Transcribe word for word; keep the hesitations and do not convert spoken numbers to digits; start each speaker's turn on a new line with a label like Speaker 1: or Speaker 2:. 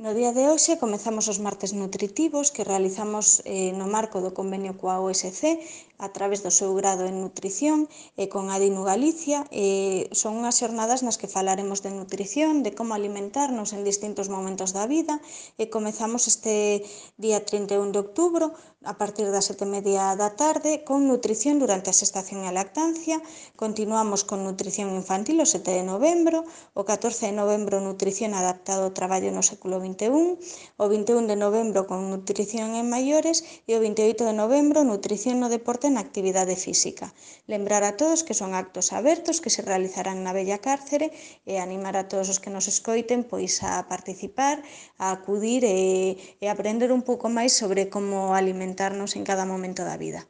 Speaker 1: No día de hoxe comezamos os martes nutritivos que realizamos eh, no marco do convenio coa O S C a través do seu grado en nutrición e con Adinu Galicia. Eh, son unhas xornadas nas que falaremos de nutrición, de como alimentarnos en distintos momentos da vida e comezamos este día trinta e un de outubro a partir das sete e media da tarde con nutrición durante a xestación e a lactancia. Continuamos con nutrición infantil o sete de novembro, o catorce de novembro nutrición adaptado ao traballo no século vinte e un, o vinte e un de novembro con nutrición en maiores e o vinte e oito de novembro nutrición no deporte e na actividade física. Lembrar a todos que son actos abertos que se realizarán na Bella Cárcere e animar a todos os que nos escoiten pois a participar, a acudir e, e aprender un pouco máis sobre como alimentarnos en cada momento da vida.